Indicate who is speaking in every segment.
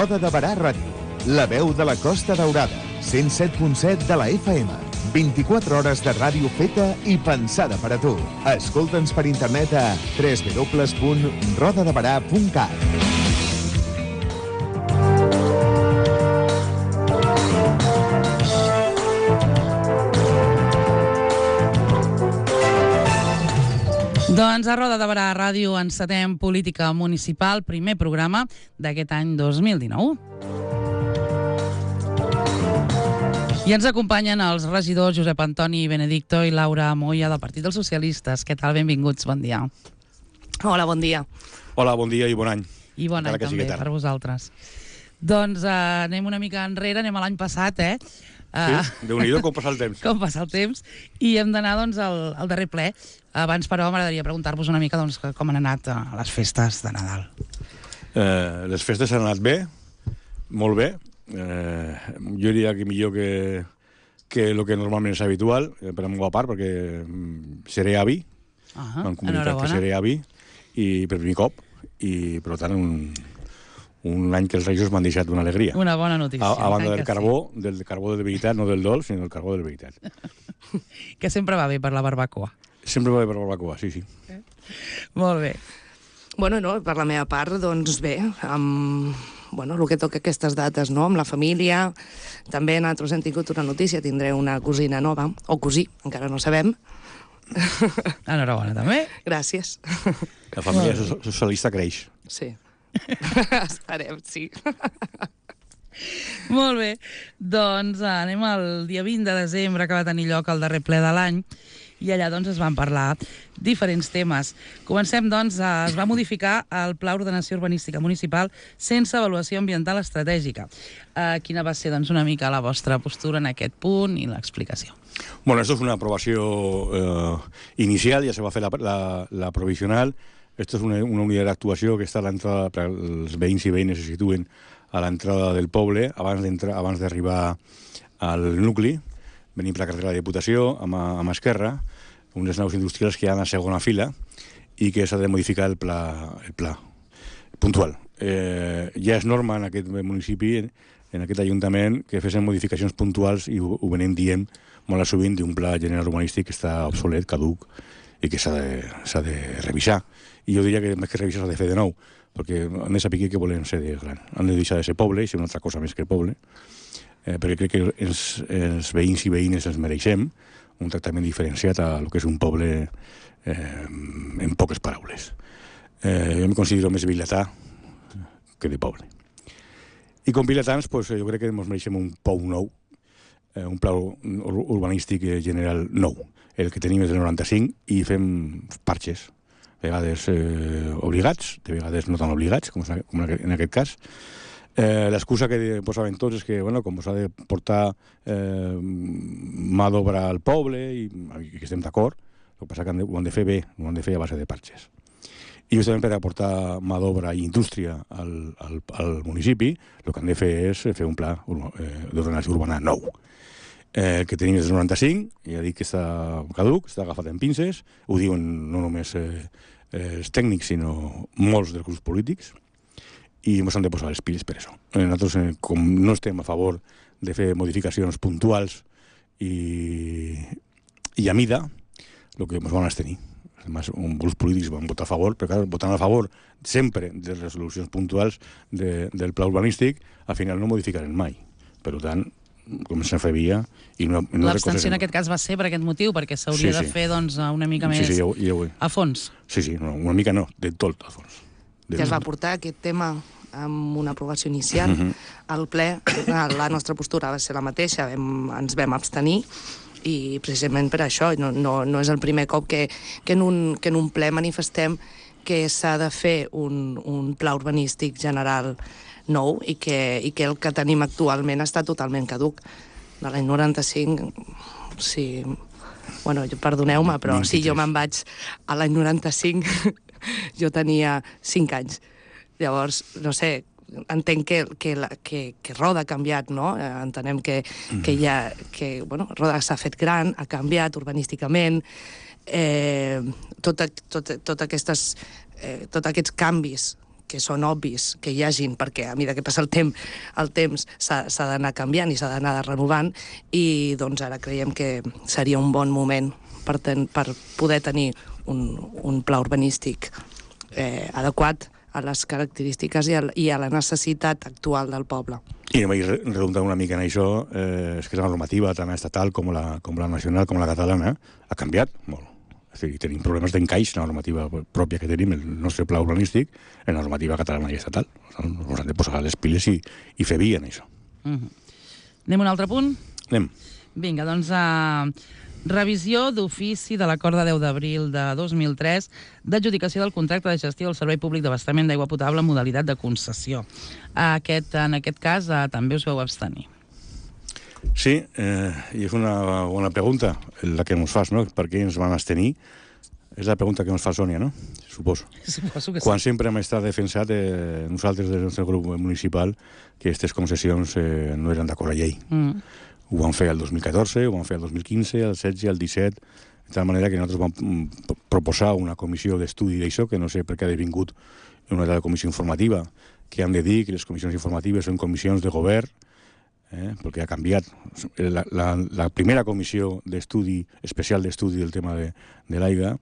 Speaker 1: Roda de Berà Ràdio, la veu de la Costa Daurada, 107.7 de la FM. 24 hores de ràdio feta i pensada per a tu. Escolta'ns per internet a www.rodadeberà.cat.
Speaker 2: Doncs a Roda de Berà Ràdio encetem Política Municipal, primer programa d'aquest any 2019. I ens acompanyen els regidors Josep Antoni Benedicto i Laura Moya del Partit dels Socialistes. Què tal? Benvinguts, bon dia.
Speaker 3: Hola, bon dia.
Speaker 4: Hola, bon dia i bon any.
Speaker 2: I bon any també per vosaltres. Doncs anem una mica enrere, anem a l'any passat,
Speaker 4: Sí, Déu-n'hi-do com passa el temps.
Speaker 2: Com passa el temps. I hem d'anar doncs, al darrer ple. Abans, però, m'agradaria preguntar-vos una mica doncs, com han anat les festes de Nadal.
Speaker 4: Les festes han anat bé, molt bé. Jo diria que millor que el que normalment és habitual, per la meva part, perquè seré avi, m'han comunicat que seré avi, i per primer cop, i per tant un any que els Reis m'han deixat una alegria.
Speaker 2: Una bona notícia.
Speaker 4: A banda del carbó de veritat, no del dolç, sinó del carbó de veritat.
Speaker 2: Que sempre va bé per la barbacoa.
Speaker 4: Sempre va bé per la barbacoa, sí.
Speaker 2: Molt bé.
Speaker 3: Bueno, no, per la meva part, doncs bé, amb el que toca aquestes dates, no?, amb la família. També nosaltres hem tingut una notícia, tindré una cosina nova, o cosí, encara no sabem.
Speaker 2: Enhorabona, també.
Speaker 3: Gràcies.
Speaker 4: La família socialista creix.
Speaker 3: Sí. Esperem, sí.
Speaker 2: Molt bé. Doncs anem al dia 20 de desembre, que va tenir lloc el darrer ple de l'any, i allà doncs es van parlar diferents temes. Comencem, doncs, es va modificar el Pla d'Ordenació Urbanística Municipal sense avaluació ambiental estratègica. Quina va ser, doncs, una mica la vostra postura en aquest punt i l'explicació?
Speaker 4: Bueno, esto es una aprobació inicial, ja se va fer la provisional. Esto es una unidad de actuació que està a l'entrada, per els veïns i veïnes se situen a l'entrada del poble, abans d'arribar al nucli, venim per la carretera de Diputació, amb esquerra, unes naus industrials que hi ha a segona fila i que s'ha de modificar el pla puntual. Ja és norma en aquest municipi, en aquest ajuntament, que fessin modificacions puntuals i ho venim dient molt sovint d'un pla general urbanístic que està obsolet, caduc, i que s'ha de revisar. I jo diria que més que revisar s'ha de fer de nou, perquè han de saber que volen ser de gran. Han de deixar de ser poble i ser una altra cosa més que poble, perquè crec que els veïns i veïnes ens mereixem un tractament diferenciat a lo que és un poble en poques paraules. Jo em considero més vilatà que de poble. I com vilatans, jo crec que ens mereixem un POU nou, un pla urbanístic general nou. El que tenim és del 95 i fem parxes, a vegades obligats, de vegades no tan obligats, com en aquest cas. L'excusa que posaven tots és que, com s'ha de portar mà d'obra al poble, i que estem d'acord, el que passa que ho han de fer bé, ho han de fer a base de parxes. I justament per aportar mà d'obra i indústria al municipi, el que han de fer és fer un pla d'ordenació urbana nou. El que tenim és el 95, ja dic que està caduc, està agafat en pinces, ho diuen no només els tècnics, sinó molts dels grups polítics, i ens han de posar les piles per això. Nosaltres, com no estem a favor de fer modificacions puntuals i a mida, el que ens van abstenir. Además, grups polítics van votar a favor, però clar, votant a favor sempre de les resolucions puntuals del pla urbanístic, al final no modificaran mai. Per tant, com se'n feia...
Speaker 2: L'abstenció en aquest cas va ser per aquest motiu, perquè s'hauria de fer una mica més a fons.
Speaker 4: Sí, una mica no, de tot a fons.
Speaker 3: Ja es va portar aquest tema amb una aprovació inicial al ple. La nostra postura va ser la mateixa, ens vam abstenir, i precisament per això no és el primer cop que en un ple manifestem que s'ha de fer un pla urbanístic general nou i que el que tenim actualment està totalment caduc. De l'any 95, sí... Perdoneu-me, però si jo me'n vaig a l'any 95, jo tenia 5 anys. Llavors, no sé, entenc que Roda ha canviat, no? Entenem que Roda s'ha fet gran, ha canviat urbanísticament, tots aquests canvis que són obvis que hi hagin, perquè a mesura que passa el temps s'ha d'anar canviant i s'ha d'anar renovant, i doncs ara creiem que seria un bon moment per poder tenir un pla urbanístic adequat a les característiques i a la necessitat actual del poble.
Speaker 4: I vaig redundar una mica en això, és que la normativa tant estatal com la nacional com la catalana ha canviat molt. És a dir, tenim problemes d'encaix en la normativa pròpia que tenim, el nostre pla urbanístic, en la normativa catalana i estatal. Ens hem de posar les piles i fer via en això.
Speaker 2: Anem a un altre punt?
Speaker 4: Anem.
Speaker 2: Vinga, doncs revisió d'ofici de l'acord de 10 d'abril de 2003 d'adjudicació del contracte de gestió del Servei Públic d'Abastament d'Aigua Potable en modalitat de concessió. En aquest cas també us vau abstenir.
Speaker 4: Sí, i és una bona pregunta la que ens fas, no? Per què ens van abstenir? És la pregunta que ens fa Sònia, no? Suposo.
Speaker 2: Suposo que sí.
Speaker 4: Quan sempre hem estat defensat nosaltres del nostre grup municipal que aquestes concessions no eren d'acord a llei. Ho van fer el 2014, ho van fer el 2015, el 16, el 17, de tal manera que nosaltres vam proposar una comissió d'estudi d'això, que no sé per què ha devingut una altra comissió informativa, que han de dir que les comissions informatives són comissions de govern, perquè ha canviat. La primera comissió d'estudi, especial d'estudi del tema de l'aigua,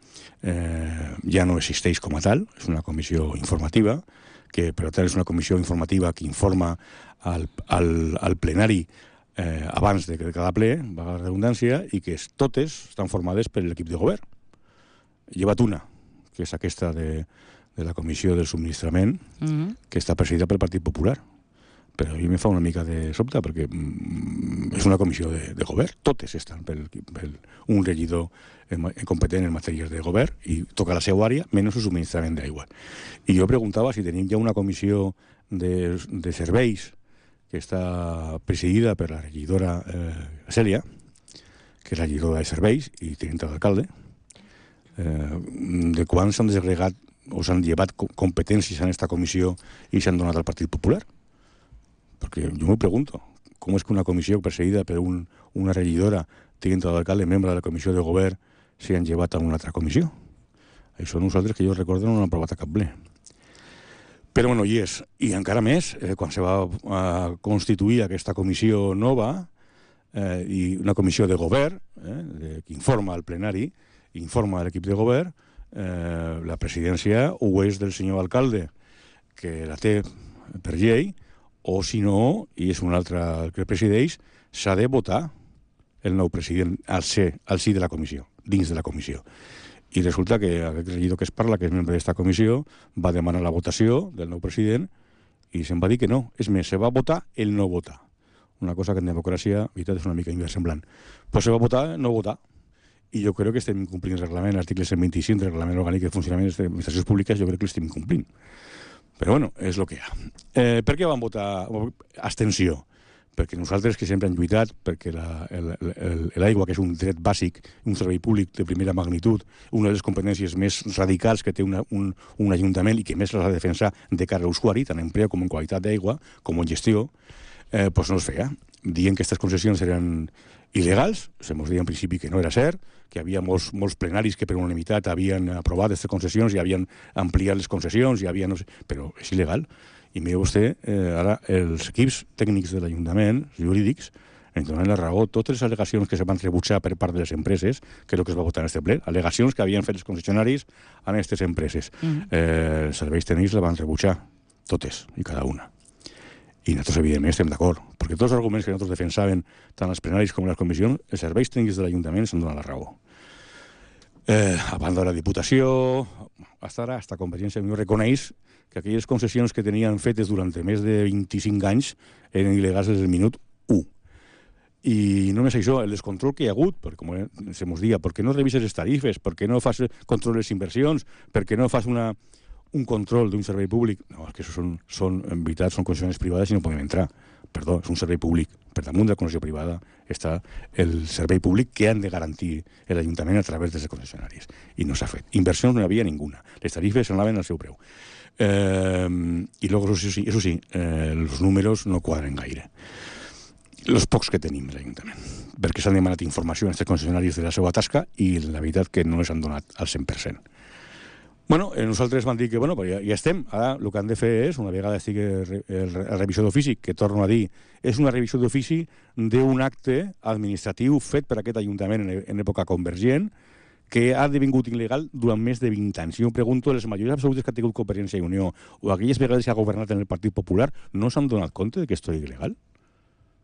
Speaker 4: ja no existeix com a tal, és una comissió informativa, que per tant és una comissió informativa que informa al plenari abans de cada ple, va la redundància, i que totes estan formades per l'equip de govern. Llevat una, que és aquesta de la comissió del subministrament, que està presidida pel Partit Popular. Però a mi me fa una mica de sobte, perquè és una comissió de govern. Totes estan per un regidor competent en matèries de govern i toca la seva àrea, menys el subministrament d'aigua. I jo preguntava si tenim ja una comissió de serveis que està presidida per la regidora Cèlia, que és la regidora de serveis i tinenta d'alcalde, de quan s'han desagregat o s'han llevat competències en aquesta comissió i s'han donat al Partit Popular. Perquè jo m'ho pregunto, com és que una comissió perseguida per una regidora, tinenta d'alcalde, membre de la comissió de govern, s'han llevat a una altra comissió? Això nosaltres, que jo recordo, no han aprovat a cap ple. Però bueno, hi és. I encara més, quan se va constituir aquesta comissió nova, i una comissió de govern, que informa al plenari, informa a l'equip de govern, la presidència o és del senyor alcalde, que la té per llei, o si no, i és un altre el que presideix, s'ha de votar el nou president al sí de la comissió, dins de la comissió. I resulta que aquest regidor que es parla, que és membre d'esta comissió, va demanar la votació del nou president i se'n va dir que no. És més, se va votar el no votar. Una cosa que en democràcia, veritat, és una mica inversemblant. Però se va votar no votar. I jo crec que estem incomplint el reglament, l'article 125 del reglament orgànic de funcionament de les administracions públiques, jo crec que l'estem incomplint. Però bueno, és el que hi ha. Per què van votar abstenció? Perquè nosaltres, que sempre hem lluitat perquè l'aigua, que és un dret bàsic, un servei públic de primera magnitud, una de les competències més radicals que té un ajuntament i que més les ha de defensar de cara a l'usuari, tant en preu com en qualitat d'aigua, com en gestió, doncs no es feia. Dient que aquestes concessions eren il·legals, se mos deia en principi que no era cert, que hi havia molts plenaris que per unanimitat havien aprovat aquestes concessions i havien ampliat les concessions, però és il·legal. I mira vostè, ara els equips tècnics de l'Ajuntament, jurídics, ens donen la raó. Totes les al·legacions que se van rebutjar per part de les empreses, que és el que es va votar en aquest ple, al·legacions que havien fet els concessionaris a aquestes empreses. Els serveis tècnics la van rebutjar, totes i cada una. I nosaltres, evidentment, estem d'acord, perquè tots els arguments que nosaltres defensaven, tant els plenaris com les comissions, els serveis tècnics de l'Ajuntament s'han donat la raó. A banda de la Diputació, hasta Convergència i Unió reconeix que aquelles concessions que tenien fetes durant més de 25 anys eren il·legals des del minut 1. I només això, el descontrol que hi ha hagut, perquè com se mos dia, per què no revises les tarifes, per què no fas control de les inversions, per què no fas un control d'un servei públic? No, és que això en veritat, són concessions privades i no podem entrar. Perdó, és un servei públic. Per damunt de la concessió privada està el servei públic que han de garantir l'Ajuntament a través dels concessionaris. I no s'ha fet. Inversions no hi havia ninguna. Les tarifes anaven al seu preu. I luego, eso sí, els números no quadren gaire. Els pocs que tenim a l'Ajuntament. Perquè s'han demanat informació a aquests concessionaris de la seva tasca i la veritat que no les han donat al 100%. Bueno, nosaltres vam dir que ja estem. Ara el que han de fer és, una vegada estigui la revisió d'ofici, que torno a dir, és una revisió d'ofici d'un acte administratiu fet per aquest Ajuntament en època convergent, que ha devingut il·legal durant més de 20 anys. Jo em pregunto, les majories absolutes que ha tingut Convergència i Unió o aquelles vegades que ha governat en el Partit Popular no s'han donat compte de que esto és il·legal?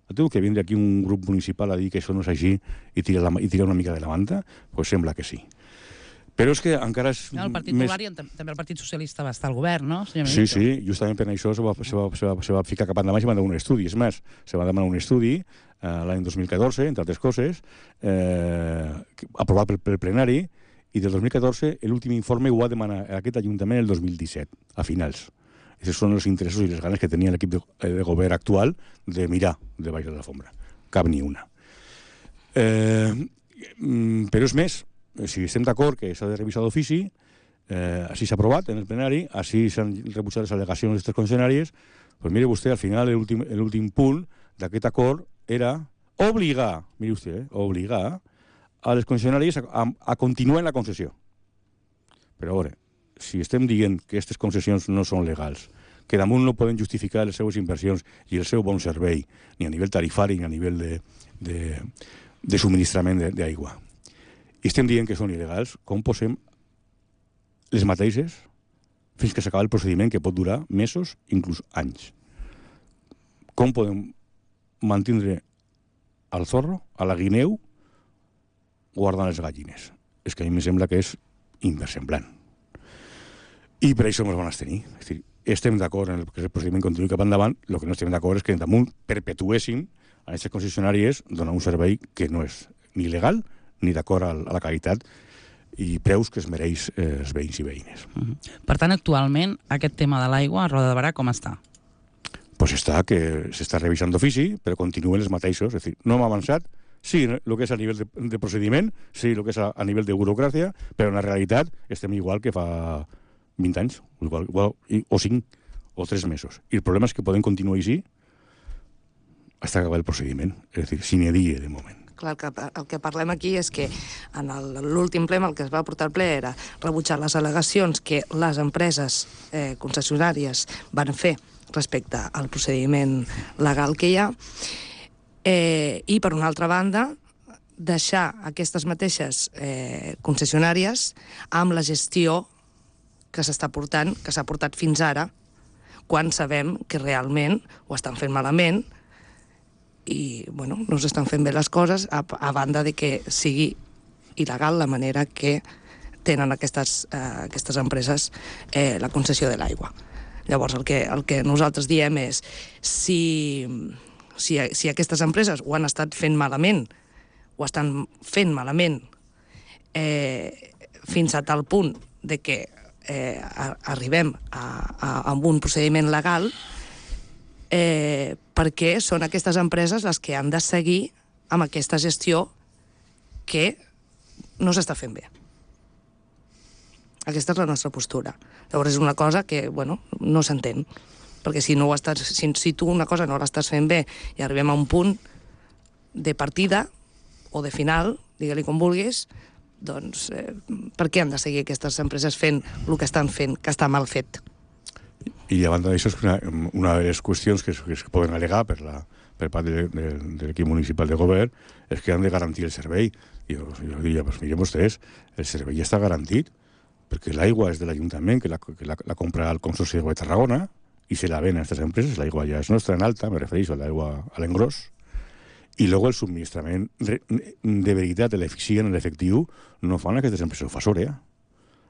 Speaker 4: Ha tingut que vindre aquí un grup municipal a dir que això no és així i tirar una mica de la manta? Doncs sembla que sí. Però és que encara és...
Speaker 2: El Partit Popular i també el Partit Socialista va estar al govern, no?
Speaker 4: Sí, justament per això se va ficar cap endavant i se va demanar un estudi. És més, se va demanar un estudi l'any 2014, entre altres coses, aprovat pel plenari, i del 2014 l'últim informe ho va demanar aquest Ajuntament el 2017, a finals. Aquests són els interessos i les ganes que tenia l'equip de govern actual de mirar de baix de la fombra. Cap ni una. Però és més, si estem d'acord que s'ha de revisar d'ofici, així s'ha aprovat en el plenari, així s'han rebutjat les al·legacions d'aquestes concessionàries, doncs mire vostè, al final l'últim punt d'aquest acord era obligar, mire vostè, obligar a les concessionàries a continuar en la concessió. Però a veure, si estem dient que aquestes concessions no són legals, que damunt no poden justificar les seues inversions i el seu bon servei, ni a nivell tarifari ni a nivell de subministrament d'aigua, i estem dient que són il·legals, com posem les mateixes fins que s'acaba el procediment, que pot durar mesos, inclús anys? Com podem mantindre al zorro, a la guineu, guardant les gallines? És que a mi em sembla que és inversemblant. I per això ens van abstenir. És dir, estem d'acord en que el procediment continuï cap endavant, el que no estem d'acord és que damunt perpetuéssim a aquestes concessionàries donar un servei que no és ni legal ni d'acord a la qualitat i preus que es mereix els veïns i veïnes.
Speaker 2: Per tant, actualment, aquest tema de l'aigua a Roda de Barà com està?
Speaker 4: Doncs està que s'està revisant d'ofici, però continuen els mateixos. És dir, no hem avançat, sí, el que és a nivell de procediment, sí, el que és a nivell de burocràcia, però en la realitat estem igual que fa 20 anys, o 5, o 3 mesos. I el problema és que podem continuar així fins a acabar el procediment. És dir, sine die, de moment.
Speaker 3: Clar, el que parlem aquí és que en l'últim ple el que es va portar al ple era rebutjar les al·legacions que les empreses concessionàries van fer respecte al procediment legal que hi ha, i per una altra banda deixar aquestes mateixes concessionàries amb la gestió que s'està portant, que s'ha portat fins ara, quan sabem que realment ho estan fent malament i no s'estan fent bé les coses, a banda de que sigui il·legal la manera que tenen aquestes empreses la concessió de l'aigua. Llavors, el que nosaltres diem és si aquestes empreses ho han estat fent malament, ho estan fent malament fins a tal punt de que arribem a un procediment legal, perquè són aquestes empreses les que han de seguir amb aquesta gestió que no s'està fent bé. Aquesta és la nostra postura. Llavors és una cosa que, no s'entén, perquè si tu una cosa no l'estàs fent bé i arribem a un punt de partida o de final, digue-li com vulguis, doncs per què han de seguir aquestes empreses fent el que estan fent, que està mal fet?
Speaker 4: I a banda d'això, una de les qüestions que es poden al·legar per part de l'equip municipal de govern és que han de garantir el servei. Jo diria, miren vostès, el servei ja està garantit, perquè l'aigua és de l'Ajuntament, que la compra el Consorci d'Aigua de Tarragona, i se la ven a aquestes empreses, l'aigua ja és nostra en alta, me refereixo a l'aigua a l'engròs, i luego el subministrament de veritat, l'eficient, l'efectiu, no fan aquestes empreses, ho fa Sorea.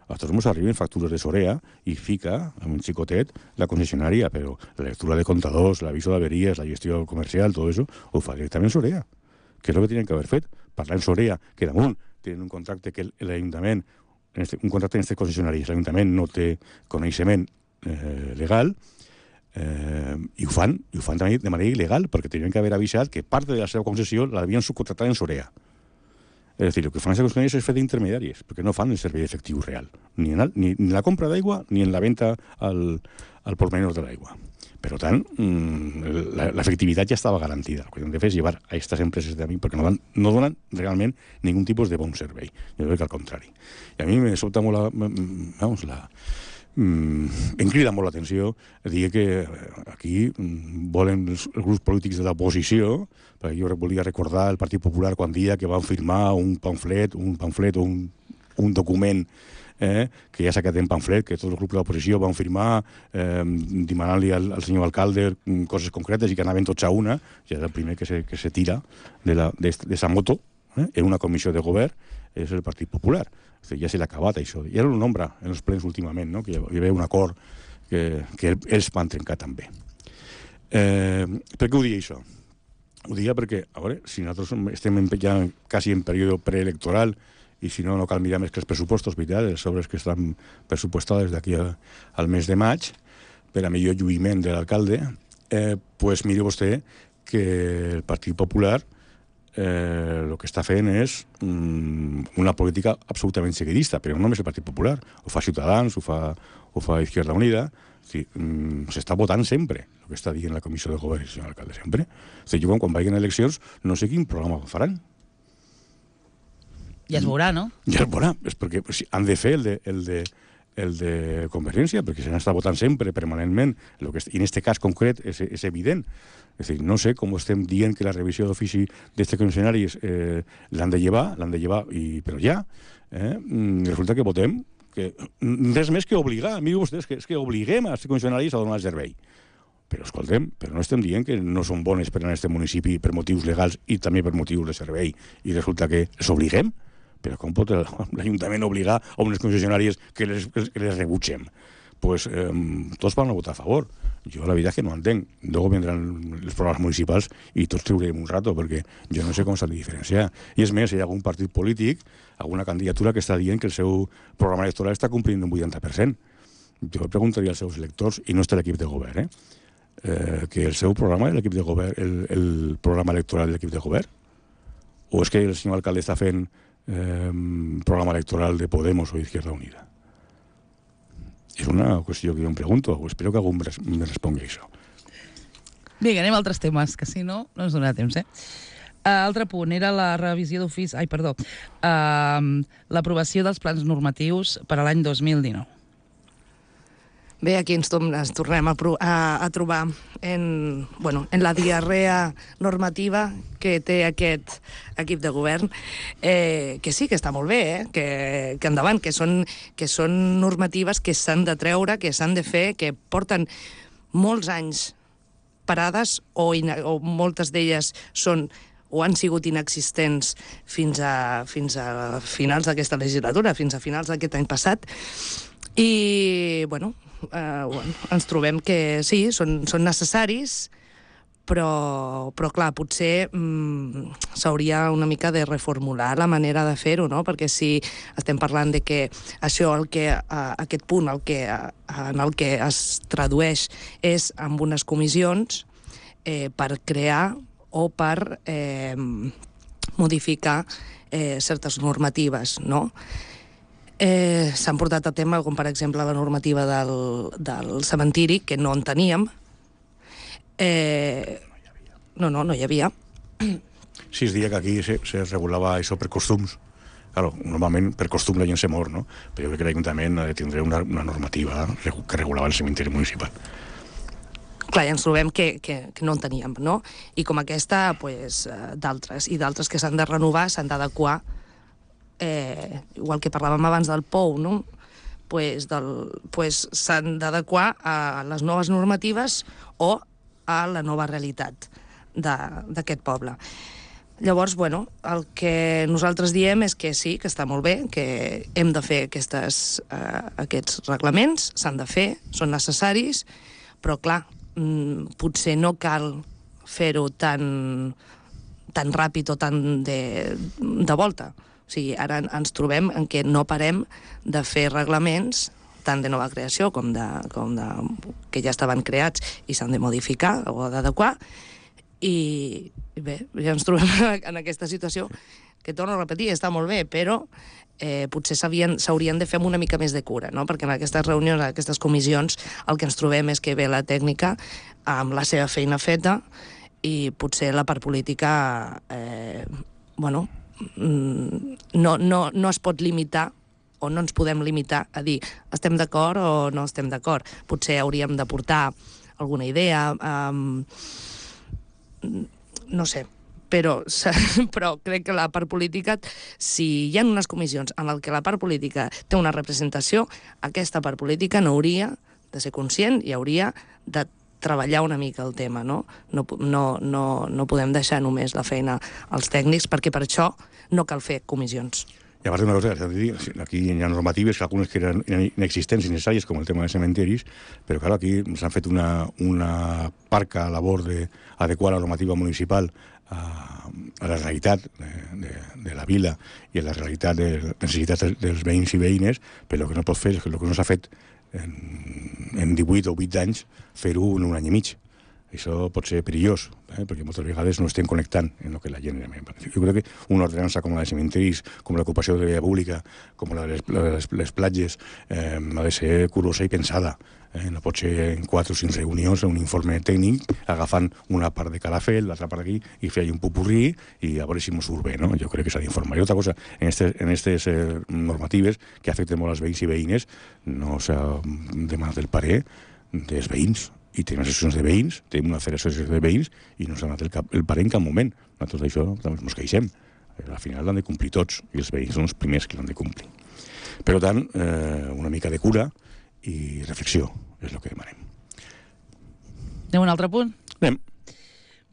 Speaker 4: A tots ens arriben factures de Sorea i fica, amb un xicotet, la concessionària, però la lectura de comptadors, l'aviso d'averies, la gestió comercial, tot això, ho fa directament Sorea, que és el que tenien que haver fet. Parlar en Sorea, que damunt tenen un contracte que l'Ajuntament, un contracte en aquestes concessionàries, l'Ajuntament no té coneixement legal, i ho fan de manera il·legal, perquè tenien que haver avisat que part de la seva concessió l'havien subcontractat en Sorea. És a dir, el que fan les concessionàries és fer d'intermediaris, perquè no fan el servei efectiu real, ni en la compra d'aigua ni en la venda al por menor de l'aigua. Per tant, l'efectivitat ja estava garantida. El que hem de fer és llevar a aquestes empreses de mi perquè no donen realment ningun tipus de bon servei. Jo crec que al contrari. I a mi me sobta molt em crida molt l'atenció dir que aquí volen els grups polítics de l'oposició, perquè jo volia recordar el Partit Popular quan dia que van firmar un pamflet o un document que ja s'ha quedat en pamflet, que tots els grups de l'oposició van firmar demanant-li al senyor alcalde coses concretes i que anaven tots a una, ja és el primer que se tira d'esa moto en una comissió de govern, és el Partit Popular. Ja se l'ha acabat, això. I era un nombre en els plens últimament, no? Que hi havia un acord que ells van trencar també. Per què ho dic, això? Ho dic perquè, a veure, si nosaltres estem ja quasi en període preelectoral i si no cal mirar més que els pressupostos, veritat, les obres que estan pressupostades d'aquí al mes de maig, per a millor lluïment de l'alcalde, doncs miri vostè que el Partit Popular el que està fent és una política absolutament seguidista, però no només el Partit Popular, ho fa Ciutadans, ho fa Izquierda Unida, s'està votant sempre el que està dient la comissió de govern, senyor alcalde, sempre. Jo quan vagin a eleccions no sé quin programa faran.
Speaker 2: Ja es veurà, no?
Speaker 4: Ja es veurà, és perquè han de fer el de Convergència, perquè se n'està votant sempre, permanentment, i en aquest cas concret és evident. És a dir, no sé com estem dient que la revisió d'ofici d'aquests concessionaris l'han de llevar, però ja, resulta que votem que res més que obligar, miri vostès, és que obliguem a aquests concessionaris a donar el servei. Però escoltem, però no estem dient que no són bones per a aquest municipi per motius legals i també per motius de servei, i resulta que els obliguem? Però com pot l'Ajuntament obligar a unes concessionàries que les rebutgem? Doncs tots van a votar a favor. Jo la veritat és que no entenc. Luego vendran els programes municipals i tots treurem un rato, perquè jo no sé com s'han de diferenciar. I és més, hi ha algun partit polític, alguna candidatura que està dient que el seu programa electoral està complint un 80%. Jo preguntaria als seus electors, i no està l'equip de govern, que el seu programa és l'equip de govern, el programa electoral de l'equip de govern? O és que el senyor alcalde està fent programa electoral de Podemos o Izquierda Unida? És una qüestió que jo em pregunto. Espero que algú me respongui això.
Speaker 2: Vinga, anem a altres temes, que si no, no ens donarà temps, Altre punt era la revisió d'ofici... l'aprovació dels plans normatius per a l'any 2019.
Speaker 3: Bé, aquí ens tornem a trobar en la diarrea normativa que té aquest equip de govern, que sí, que està molt bé, que endavant, que són normatives que s'han de treure, que s'han de fer, que porten molts anys parades o moltes d'elles són o han sigut inexistents fins a finals d'aquesta legislatura, fins a finals d'aquest any passat. I, ens trobem que sí, són necessaris, però clar, potser s'hauria una mica de reformular la manera de fer-ho, no? Perquè si estem parlant de que això, aquest punt en el que es tradueix és amb unes comissions per crear o per modificar certes normatives, no? S'han portat a tema, com per exemple la normativa del cementiri, que no en teníem. No hi havia.
Speaker 4: Sí, es deia que aquí se regulava això per costums. Claro, normalment per costum la gent se mor, no? Però jo crec que l'Ajuntament ha de tindre una normativa que regulava el cementiri municipal.
Speaker 3: Clar, ja ens trobem que no en teníem, no? I com aquesta, d'altres que s'han de renovar, s'han d'adequar, igual que parlàvem abans del POU, no? S'han d'adequar a les noves normatives o a la nova realitat d'aquest poble. Llavors, el que nosaltres diem és que sí, que està molt bé, que hem de fer aquests reglaments, s'han de fer, són necessaris, però clar, potser no cal fer-ho tan ràpid o tan de volta. O sigui, ara ens trobem en què no parem de fer reglaments tant de nova creació com que ja estaven creats i s'han de modificar o d'adequar, i bé, ja ens trobem en aquesta situació que torno a repetir, està molt bé, però potser s'haurien de fer amb una mica més de cura, no? Perquè en aquestes reunions, en aquestes comissions, el que ens trobem és que ve la tècnica amb la seva feina feta i potser la part política no es pot limitar o no ens podem limitar a dir estem d'acord o no estem d'acord. Potser hauríem de portar alguna idea, no sé, però crec que la part política, si hi ha unes comissions en què la part política té una representació, aquesta part política no hauria de ser conscient i hauria de treballar una mica el tema, no? No podem deixar només la feina als tècnics, perquè per això no cal fer comissions.
Speaker 4: I a part d'una cosa, aquí hi ha normatives, que algunes que eren inexistents i necessàries, com el tema de cementeris, però clar, aquí s'han fet una parca labor d'adequar la normativa municipal a la realitat de la vila i a la realitat de les necessitats dels veïns i veïnes, però el que no pot fer és que el que no s'ha fet en 18 o 20 anys, fer-ho en un any i mig. Això pot ser perillós, perquè moltes vegades no estem connectant en el que la gent... Jo crec que una ordenança com la de cementeris, com l'ocupació de la via pública, com la de les platges, ha de ser curosa i pensada. No pot ser en 4 o 5 reunions, un informe tècnic, agafant una part de cada fet, l'altra part d'aquí, i fer un pupurrí i a veure si mos surt bé, no? Jo crec que s'ha d'informar. I altra cosa, en aquestes normatives que afecten molt als veïns i veïnes, no s'ha demanat el parer dels veïns. I tenim associacions de veïns, tenim una federació de veïns i no s'ha donat el parer en cap moment. Nosaltres d'això també ens queixem. Al final l'han de complir tots i els veïns són els primers que l'han de complir. Per tant, una mica de cura i reflexió és el que demanem.
Speaker 2: Anem a un altre punt?
Speaker 4: Anem.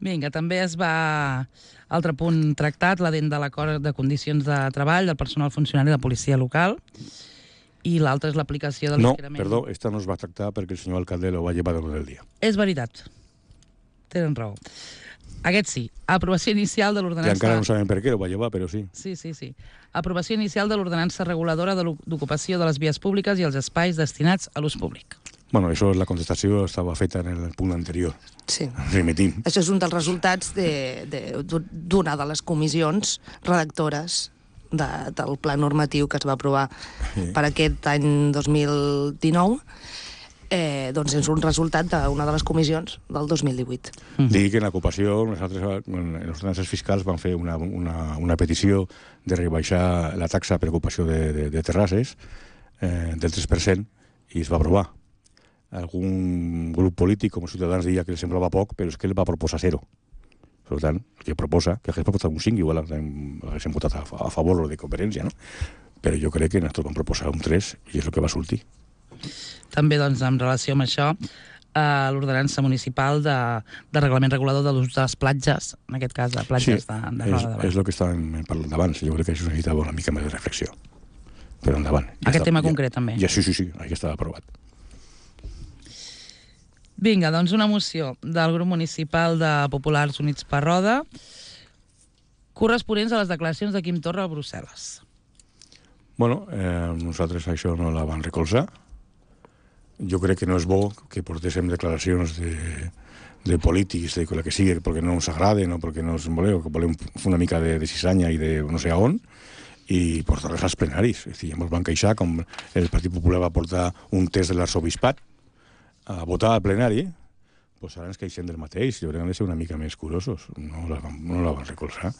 Speaker 2: Vinga, també es va... Altre punt tractat, l'adent de l'acord de condicions de treball del personal funcionari de policia local, i l'altre és l'aplicació de l'esquerament.
Speaker 4: No, perdó, esta no es va tractar perquè el senyor alcalde lo va llevar del dia.
Speaker 2: És veritat. Tenen raó. Aquest sí. Aprovació inicial de l'ordenança...
Speaker 4: I encara no sabem per què lo va llevar, però sí.
Speaker 2: Sí. Aprovació inicial de l'ordenança reguladora d'ocupació de les vies públiques i els espais destinats a l'ús públic.
Speaker 4: Bueno, això, la contestació estava feta en el punt anterior.
Speaker 3: Sí.
Speaker 4: Remitim.
Speaker 3: Això és un dels resultats d'una de les comissions redactores del pla normatiu que es va aprovar per aquest any 2019, doncs és un resultat d'una de les comissions del 2018.
Speaker 4: Digui que en l'ocupació, nosaltres, en les ordenances fiscals, vam fer una petició de rebaixar la taxa per ocupació de terrasses del 3% i es va aprovar. Algun grup polític, com Ciutadans, deia que li semblava poc, però és que ell va proposar 0. Per tant, el que proposa, que hagués proposat un 5, igual haguéssim votat a favor de conferència, no? Però jo crec que nosaltres vam proposar un 3 i és el que va sortir.
Speaker 2: També, doncs, en relació amb això, l'ordenança municipal de reglament regulador de l'ús de les platges, en aquest cas, de platges de Roda de Bar.
Speaker 4: És el que estàvem parlant abans. Jo crec que això necessitava una mica més de reflexió. Però endavant.
Speaker 2: Aquest tema concret, també.
Speaker 4: Sí, aquí estava aprovat.
Speaker 2: Vinga, doncs una moció del grup municipal de Populars Units per Roda corresponents a les declaracions de Quim Torra a Brussel·les.
Speaker 4: Bueno, nosaltres això no la vam recolzar. Jo crec que no és bo que portéssim declaracions de polítics, de la que sigui, perquè no ens agraden o perquè no ens voleu, que volem fer una mica de cisanya i de no sé on, i portar-les als plenaris. És a dir, ens van queixar com el Partit Popular va portar un test de l'arsobispat a votar al plenari, doncs ara ens queixem del mateix. Jo crec que hem de ser una mica més curosos. No la vam recolzar.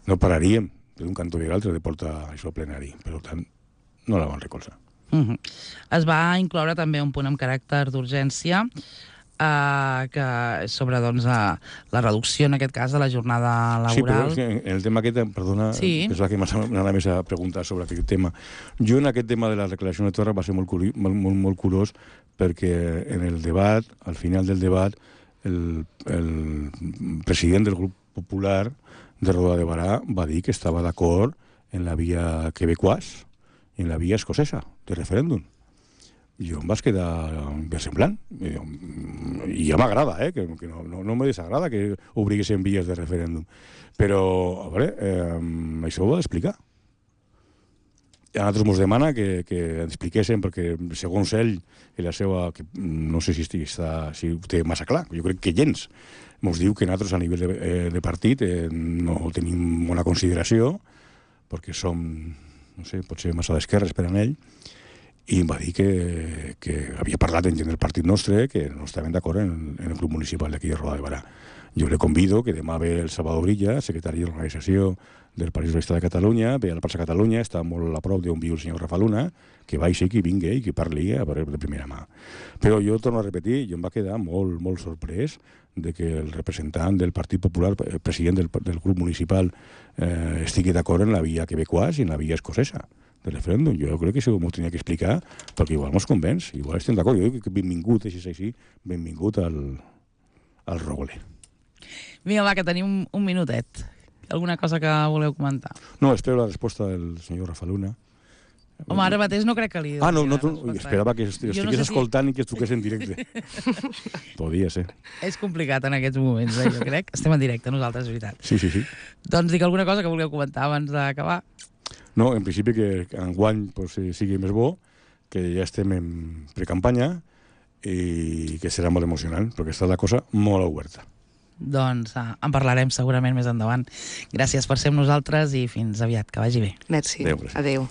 Speaker 4: No pararíem d'un cantó i l'altre de portar això al plenari. Per tant, no la vam recolzar.
Speaker 2: Es va incloure també un punt amb caràcter d'urgència que sobre doncs, la reducció, en aquest cas, de la jornada laboral.
Speaker 4: Sí, però en el tema aquest, perdona, pensava que m'anava més a preguntar sobre aquest tema. Jo en aquest tema de la declaració de Torra va ser molt curós perquè en el debat, al final del debat, el president del grup popular de Roda de Barà va dir que estava d'acord en la via quebecoise i en la via escocesa de referèndum. Jo em vaig quedar versemblant. I ja m'agrada, que no me desagrada que obriguessin vies de referèndum. Però, a veure, això ho ha d'explicar. A nosaltres ens demana que expliquéssim, perquè segons ell, la seva, que no sé si ho té massa clar, jo crec que gens, ens diu que nosaltres a nivell de partit no tenim bona consideració perquè som, no sé, potser massa d'esquerres per a ell, i em va dir que havia parlat en gent del partit nostre, que no estaven d'acord en el grup municipal d'aquí de Roda de Barà. Jo le convido que demà ve el Salvador Brilla, secretari d'Organització del Partit Socialista de Catalunya, ve a la plaça Catalunya, està molt a prop d'on viu el senyor Rafa Luna, que vagi, que vingui i que parli de primera mà. Però jo torno a repetir, jo em va quedar molt, molt sorprès de que el representant del Partit Popular, president del grup municipal, estigui d'acord en la via quebecois i en la via escocesa del referèndum. Jo crec que això m'ho tenia que explicar, perquè igual mos convenç, igual estem d'acord. Jo dic que benvingut, així, benvingut al Rogle.
Speaker 2: Vinga, va, que tenim un minutet. Alguna cosa que voleu comentar?
Speaker 4: No, espero la resposta del senyor Rafa Luna.
Speaker 2: Home, ara mateix no crec que li...
Speaker 4: Esperava que estigués escoltant i que es truqués en directe. Podia ser.
Speaker 2: És complicat en aquests moments, jo crec. Estem en directe, nosaltres, és veritat.
Speaker 4: Sí.
Speaker 2: Doncs dic alguna cosa que voleu comentar abans d'acabar.
Speaker 4: No, en principi que enguany sigui més bo, que ja estem en precampanya i que serà molt emocionant, perquè està la cosa molt oberta.
Speaker 2: Doncs en parlarem segurament més endavant. Gràcies per ser amb nosaltres i fins aviat, que vagi bé.
Speaker 3: Merci.
Speaker 4: Adéu.
Speaker 3: Adéu.